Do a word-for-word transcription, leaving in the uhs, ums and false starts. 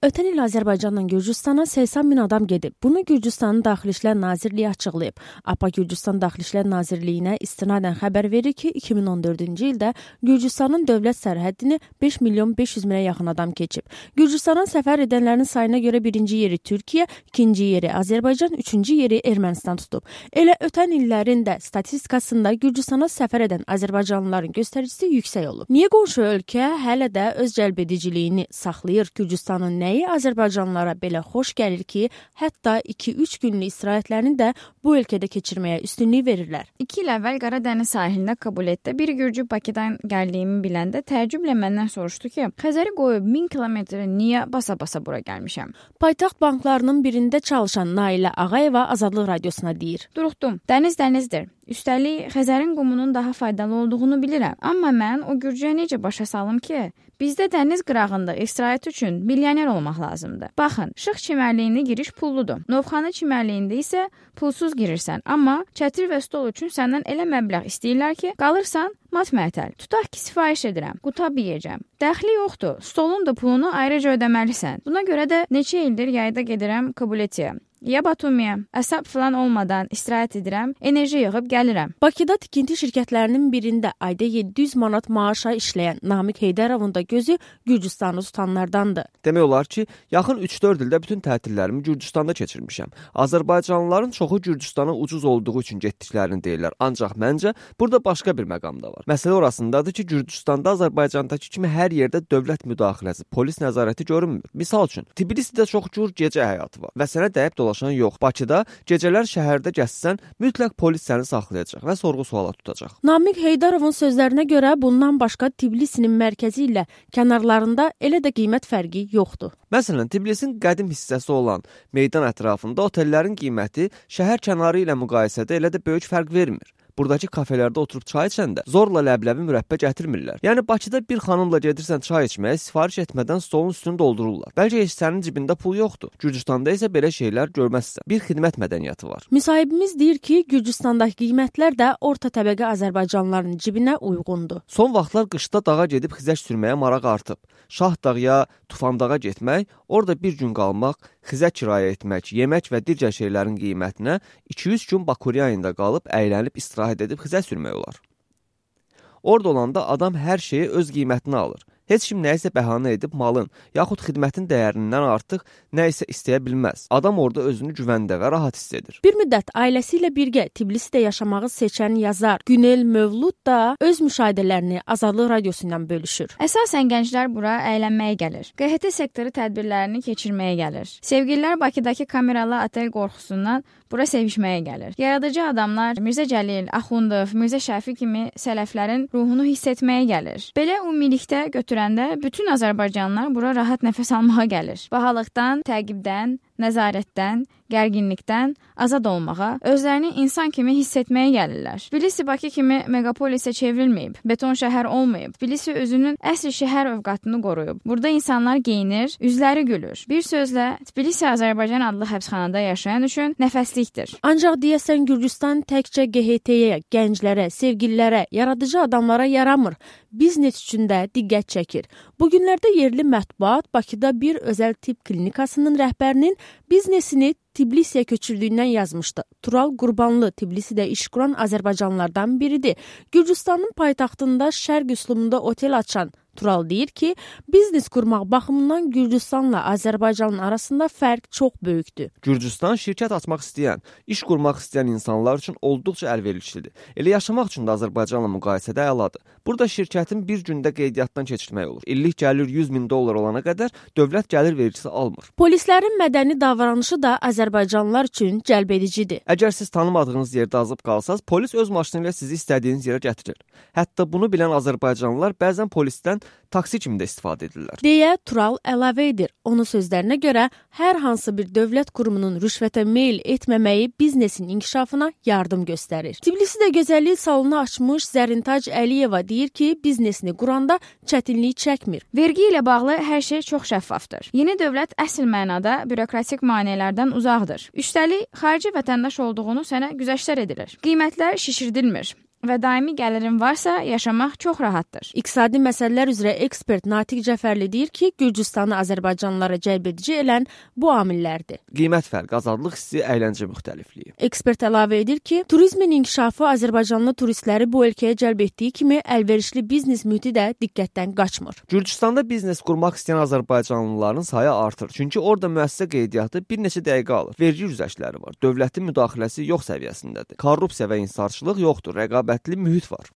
Ötən il Azərbaycandan Gürcüstana səksən min adam gedib. Bunu Gürcüstanın Daxili İşlər Nazirliyi açıqlayıb. APA Gürcüstan Daxili İşlər Nazirliyinə istinadən xəbər verir ki, iki min on dördüncü ildə Gürcüstanın dövlət sərhəddini beş milyon beş yüz minə yaxın adam keçib. Gürcüstana səfər edənlərin sayına görə birinci yeri Türkiyə, ikinci yeri Azərbaycan, üçüncü yeri Ermənistan tutub. Elə ötən illərin də statistikasında Gürcüstana səfər edən Azərbaycanlıların göstəricisi yüksək olub. Niyə qonşu ölkə hələ də öz cəlbediciliyini saxlayır? Gürcüstanın nəyi Azərbaycanlılara belə xoş gəlir ki, hətta iki üç günlük istirahətlərini də bu ölkədə keçirməyə üstünlük verirlər. İki il əvvəl Qaradəniz sahilində Kabulətdə bir Gürcü Bakıdan gəldiyimi biləndə təəccüblə məndən soruşdu ki, Xəzəri qoyub min kilometrə niyə basa-basa bura gəlmişəm? Paytaxt banklarının birində çalışan Nailə Ağayeva Azadlıq Radiosuna deyir. Duruxdum, dəniz dənizdir. Üstəlik, Xəzərin qumunun daha faydalı olduğunu bilirəm. Amma mən o Gürcüyə necə başa salım ki, bizdə dəniz qırağında istirahət üçün milyoner olmaq lazımdır. Baxın, Şıx çimərliyində giriş pulludur. Novxanı çimərliyində isə pulsuz girirsən. Amma çətir və stol üçün səndən elə məbləğ istəyirlər ki, qalırsan mat-məətəl. Tutaq ki, sifariş edirəm, qutab yeyəcəm. Dəxli yoxdur, stolun da pulunu ayrıca ödəməlisən. Buna görə də neçə ildir yayda gedirəm Kabuletiyə. Ya Batumiyə, əsəb filan olmadan istirahət edirəm, enerji yığıb gəlirəm. Bakıda tikinti şirkətlərinin birində ayda yeddi yüz manat maaşa işləyən Namiq Heydərovun da gözü Gürcüstanı tutanlardandır. Demək olar ki, yaxın üç dörd ildə bütün tətillərimi Gürcüstanda keçirmişəm. Azərbaycanlıların çoxu Gürcüstana ucuz olduğu üçün getdiklərini deyirlər. Ancaq məncə burada başqa bir məqam da var. Məsələ orasındadır ki, Gürcüstanda Azərbaycandakı kimi hər yerdə dövlət müdaxiləsi, polis nəzarəti görünmür. Misal üçün, Tbilisidə çox cür gecə həyatı var və sənə dəyib dolaşan yox. Bakıda gecələr şəhərdə gəzsən, mütləq polis səni saxlayacaq və sorğu-suala tutacaq. Namiq Heydarovun sözlərinə görə bundan başqa Tbilisinin mərkəzi ilə kənarlarında elə də qiymət fərqi yoxdur. Məsələn, Tbilisin qədim hissəsi olan meydan ətrafında otellərin qiyməti şəhər kənarı ilə müqayisədə elə də böyük fərq vermir. Buradakı kafelərdə oturub çay içəndə zorla ləbləbi mürəbbə gətirmirlər. Yəni Bakıda bir xanımla gedirsən çay içməyə, sifariş etmədən stolun üstünü doldururlar. Bəlkə heç sənin cibində pul yoxdur. Gürcüstanda isə belə şeylər görməzsən. Bir xidmət mədəniyyəti var. Müsahibimiz deyir ki, Gürcüstandakı qiymətlər də orta təbəqə Azərbaycanlıların cibinə uyğundur. Son vaxtlar qışda dağa gedib xizək sürməyə maraq artıb. Şahdağa ya Tufandağa getmək, orada bir gün qalmaq, xizək kirayə etmək, yemək və digər şeylərin qiymətinə iki üç gün Bakuryanında qalıb əylənib istirahət edib xizək sürmək olar. Orada olanda adam hər şeyi öz qiymətinə alır. Heç kim nəyisə bəhanə edib malın, yaxud xidmətin dəyərindən artıq nəyisə istəyə bilməz. Adam orada özünü güvəndə və rahat hiss edir. Bir müddət ailəsi ilə birgə Tbilisidə yaşamağı seçən yazar Günel Mövlud da öz müşahidələrini Azadlıq Radiosu ilə bölüşür. Əsasən gənclər bura əylənməyə gəlir. Q H T sektoru tədbirlərini keçirməyə gəlir. Sevgililər Bakıdakı kameralı otel qorxusundan bura sevişməyə gəlir. Yaradıcı adamlar Mirzə Cəlil, Axundov, Mirzə Şəfi kimi sələflərin ruhunu hiss etməyə gəlir. Belə ümumilikdə götürəndə bütün Azərbaycanlılar bura rahat nəfəs almağa gəlir. Bahalıqdan, təqibdən, nəzarətdən, gərginlikdən azad olmağa, özlərini insan kimi hiss etməyə gəlirlər. Tbilisi Bakı kimi megapolisə çevrilməyib, beton şəhər olmayıb. Tbilisi özünün əsl şəhər övqatını qoruyub. Burada insanlar geyinir, üzləri gülür. Bir sözlə, Tbilisi Azərbaycan adlı həbsxanada yaşayan üçün nəfəslikdir. Ancaq deyəsən Gürcüstan təkcə G H T-yə, gənclərə, sevgililərə, yaradıcı adamlara yaramır. Biznes üçün də diqqət çəkir. Bu günlərdə yerli mətbuat Bakıda bir özəl tibb klinikasının rəhbərinin biznesini Tbilisiyə köçürdüyündən yazmışdı. Tural Qurbanlı Tbilisidə iş quran Azərbaycanlılardan biridir. Gürcüstanın paytaxtında şərq üslubunda otel açan Tural deyir ki, biznes qurmaq baxımından Gürcüstanla Azərbaycanın arasında fərq çox böyükdür. Gürcüstan şirkət açmaq istəyən, iş qurmaq istəyən insanlar üçün olduqca əlverişlidir. Elə yaşamaq üçün də Azərbaycanla müqayisədə əladır. Burada şirkətin bir gündə qeydiyyatdan keçirmək olur. İllik gəlir yüz min dollar olana qədər dövlət gəlir vergisi almır. Polislərin mədəni davranışı da Azərbaycanlılar üçün cəlbedicidir. Əgər siz tanımadığınız yerdə azıb qalsaz, polis öz maşını ilə sizi istədiyiniz yerə gətirir. Hətta bunu bilən Azərbaycanlılar bəzən polisdən taksi kimi də istifadə edirlər. Deyə Tural əlavə edir. Onun sözlərinə görə hər hansı bir dövlət qurumunun rüşvətə meyl etməməyi biznesin inkişafına yardım göstərir. Tbilisidə gözəllik salonu açmış Zərintac Əliyeva deyir ki, biznesini quranda çətinlik çəkmir. Vergi ilə bağlı hər şey çox şəffafdır. Yeni dövlət əsl mənada bürokratik maneələrdən uzaqdır. Üstəlik, xarici vətəndaş olduğunu sənə güzəştlər edilir. Qiymətlər şişirdilmir. və daimi gəlirin varsa, yaşamaq çox rahatdır. İqtisadi məsələlər üzrə ekspert Natiq Cəfərli deyir ki, Gürcüstanı Azərbaycanlılara cəlb edici elən bu amillərdir. Qiymət fərqi, azadlıq hissi, əyləncə müxtəlifliyi. Ekspert əlavə edir ki, turizmin inkişafı Azərbaycanlı turistləri bu ölkəyə cəlb etdiyi kimi əlverişli biznes mühiti də diqqətdən qaçmır. Gürcüstanda biznes qurmaq istəyən azərbaycanlıların sayı artır. Çünki orada müəssisə qeydiyyatı bir neçə dəqiqə alır. Vergi güzəştləri var. Dövlətin müdaxiləsi yox səviyyəsindədir. Korrupsiya və inhisarçılıq yoxdur. Rəqabətli mühit var.